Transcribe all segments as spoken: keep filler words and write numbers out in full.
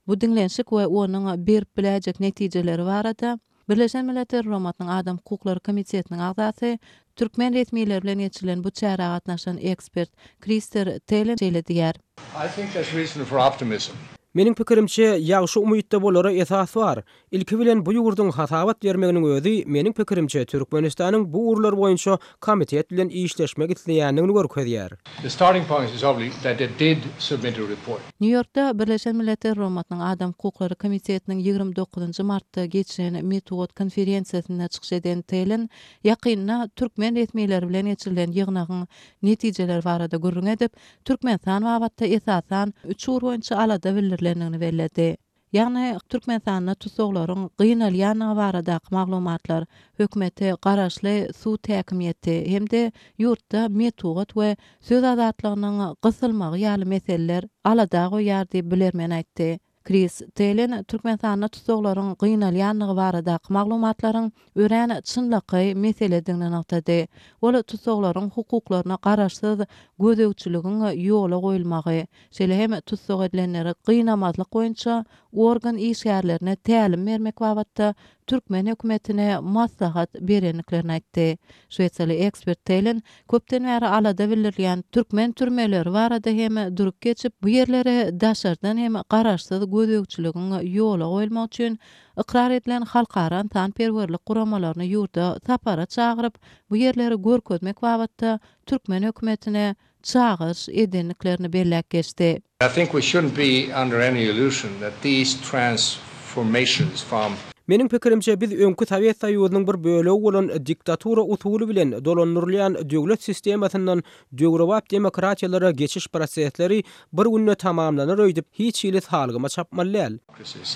Bu diňlenişik we onuň berip biläýjek netijeleri barada Birleşen Milletler Guramasynyň Adam hukuklary komitetiniň agzasy, türkmen resmileri bilen geçirilen bu çärä gatnaşan ekspert Krister Telen şeýle diýýär. I think there's reason for optimism. Meniň pikirimçe, ýagşy umytda bolara esas bar. Ilki bilen bu ýurduň hasabat bermeginiň özi meniň pikirimçe Türkmenistanyň bu ugurlar boýunça komitet bilen işleşmek isleýändigini görkezýär. The starting point is obviously that they did submit a report. Nýu-Ýorkda Birleşen Milletler Guramasynyň Adam hukuklary komitetiniň ýigrimi dokuzynjy martda geçiren metbugat konferensiýasynda çykyş eden Telen ýakynda türkmen resmileri bilen geçirilen ýygnagyň netijeleri barada gürrüň edip, Türkmenistan babatda esasan üç ugur boýunça alada bildirilendigini belledi. Ýagny Türkmenistanda tussaglaryň gynalýandygy baradaky maglumatlar, hökümete garaşly sud häkimiýeti hem-de ýurtda metbugat we söz azatlygynyň gysylmagy ýaly meseleler alada goýýar diýip, bilermen aýtdy. Kris Telen Türkmenistanda tussaglaryň gynalýandygy baradaky maglumatlaryň örän çynlakaý meseledigini nygtady. Ol tussaglaryň hukuklaryna garaşsyz gözegçiligiň ýola goýulmagy, şeýle hem tussag edilenleri gynamazlyk boýunça organ işgärlerine tälim bermek babatda türkmen hökümetine maslahat berendiklerini aýtdy. Şwesiýaly ekspert Telen köpden bäri alada bildirilýän türkmen türmeleri barada hem durup geçip, bu ýerlere daşardan hem garaşsyz gözegçiligiň ýola goýulmagy üçin ykrar edilen halkara ynsanperwerlik guramalaryny ýurda sapara çagyryp, bu ýerleri görkezmek babatda türkmen hökümetine çagyryş edendiklerini belläp geçdi. I think we shouldn't be under any illusion that these transformations from Meniň pikirimçe, biz öňki Sowet Soýuzynyň bir bölegi bolan diktatura usuly bilen dolandyrylýan döwlet sistemasyndan döwrebap demokratiýalara geçiş prosesleri bir günde tamamlanar öýdüp hiç hili salgyma çapmaly däl.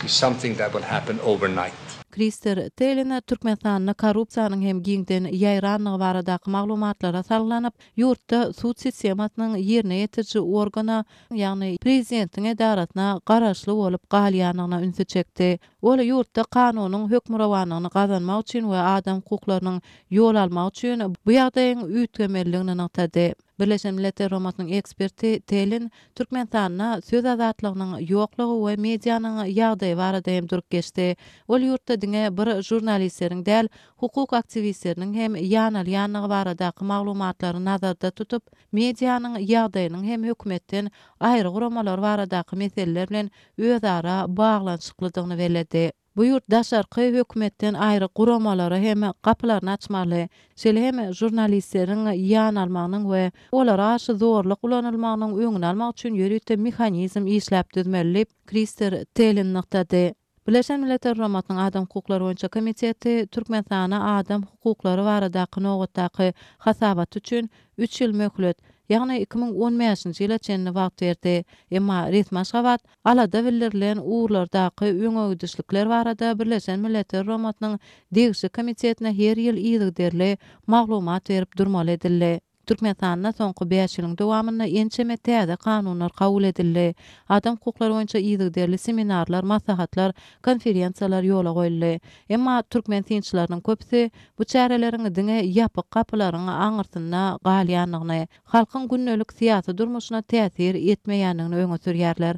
is something that will happen overnight. Krister Telen Türkmenistanda korrupsiýanyň hem giňden ýaýrandygy baradaky maglumatlara salgylanyp, ýurtda sud sistemasynyň ýerine ýetiriji organa, ýagny prezidentiň edarasyna garaşly bolup galýandygyna ünsi çekdi. Ol ýurtda kanunyň hökmürowanlygyny gazanmak üçin we adam hukuklarynyň ýol almak üçin bu ýagdaýyň üýtgemelidigini nygtady. Birleşen Milletler Guramasynyň eksperti Telen Türkmenistanda söz azatlygynyň ýoklugy we medianyň ýagdaýy barada hem durup geçdi. Ol ýurtda diňe bir žurnalistleriň däl, hukuk aktiwistleriniň hem ýanalýandygy baradaky maglumatlary nazarda tutup, medianyň ýagdaýynyň hem hökümetden aýry guramalar baradaky meseleler bilen özara baglanyşyklydygyny belledi. Bu ýurt daşarky hökümetden aýry guramalara hem gapylaryny açmaly, şeýle hem žurnalistleriň ýanalmagynyň we olara garşy zorluk ulanylmagynyň öňüni almak üçin ýörite mehanizm işläp düzmeli diýip, Krister Telen nygtady. Birleşen Milletler Guramasynyň Adam hukuklary boýunça komiteti Türkmenistana adam hukuklary baradaky nobatdaky hasabaty üçin üç ýyl möhlet, ýagny iki müň on bäşinji ýyla çenli wagt berdi. Emma resmi Aşgabat alada bildirilen ugurlardaky öňegidişlikler barada Birleşen Milletler Guramasynyň degişli komitetine her ýyl yzygiderli maglumat berip durmaly edildi. Türkmenistanda soňky bäş ýylyň dowamynda ençeme täze kanunlar kabul edildi. Adam hukuklary boýunça yzygiderli seminarlar, maslahatlar, konferensiýalar ýola goýuldy. Emma türkmen synçylarynyň köpüsi bu çäreleriň diňe ýapyk gapylaryň aňyrsynda galýandygyny, halkyň gündelik syýasy durmuşyna täsir etmeýändigini öňe sürýärler.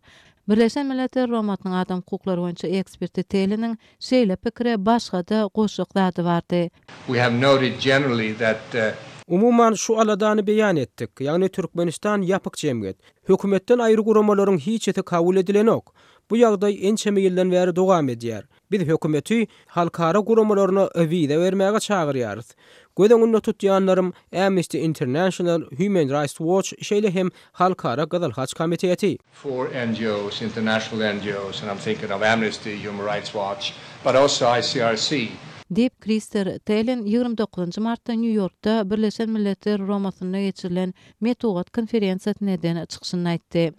Birleşen Milletler Guramasynyň adam hukuklary boýunça eksperti Teliniň şeýle pikire başga-da goşjak zady bardy. We have noted generally that, uh, Umuman şu aladany beýan etdik. Ýagny Türkmenistan ýapyk jemgyýet. Hökümetden aýry guramalaryň hiçisi kabul edilenok. Bu ýagdaý ençeme ýyldan bäri dowam edýär. Biz hökümeti halkara guramalaryna wiza bermäge çagyrýarys. Göz öňünde tutýanlarym Amnesty International, Human Rights Watch, şeýle hem Halkara Gyzyl Haç komiteti. For N G Os, international N G Os, and I'm thinking of Amnesty, Human Rights Watch, but also I C R C. Diýip, Krister Telen ýigrimi dokuzynjy martda Nýu-Ýorkda Birleşen Milletler Guramasynda geçirilen metbugat konferensiýasynda eden çykyşynda aýtdy.